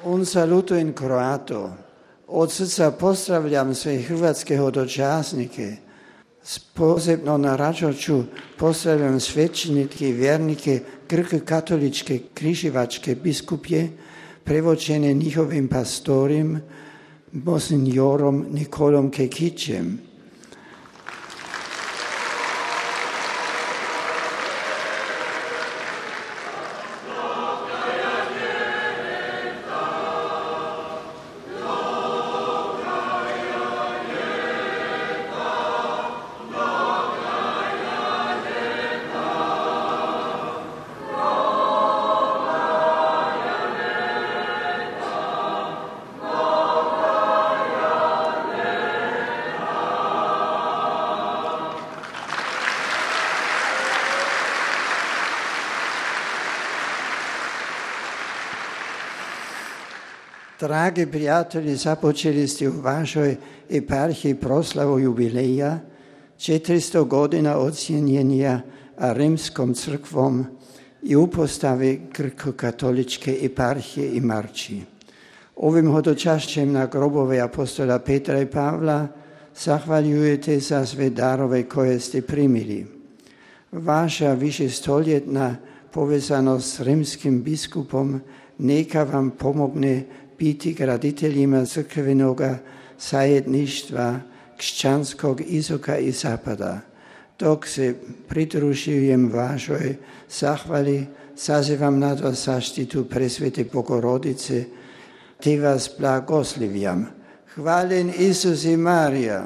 Un saluto in croato. Od srca pozdravljam sve hrvatske hodočasnike. Posebno na račoću pozdravljam svećenike i vjernike grko-katoličke križevačke biskupje, prevođene njihovim pastorim, monsignorom Nikolom Kekićem. Dragi prijatelji, započeli ste u vašoj eparhiji proslavu jubileja, 400 godina ocjenjenja Rimskom crkvom i upostave grko-katoličke eparhije i marči. Ovim hodočašćem na grobove apostola Petra i Pavla zahvaljujete za sve darove koje ste primili. Vaša višestoljetna povezanost s rimskim biskupom neka vam pomogne biti graditeljima crkvenoga zajedništva kršćanskog istoka i zapada. Dok se pridružujem vašoj zahvali, sazivam nad vas zaštitu presvete Bogorodice, te vas blagoslivljam. Hvaljen Isus i Marija.